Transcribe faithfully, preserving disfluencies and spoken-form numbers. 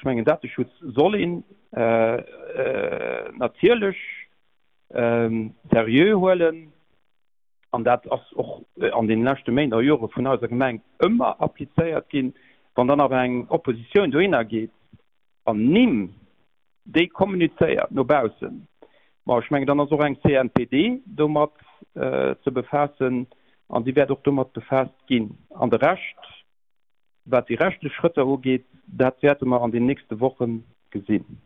mengen, Dateschutz soll een natierlech seriö huelen an dat ass och an deene leschte Méint a Jore vun eiser Gemeng ëmmer applizéiert ginn. Wann dann awer eng Oppositioun dohinner geet an Nimm déi kommunizéiert no baussen, ma ech mengen, dann ass och eng C N P D domat ze befaassen an si wäert och domat befaasst ginn. An de Rescht, wat déi rechtlech Schrëtter ugeet, dat wäerte mer an den nächste Woche gesinn.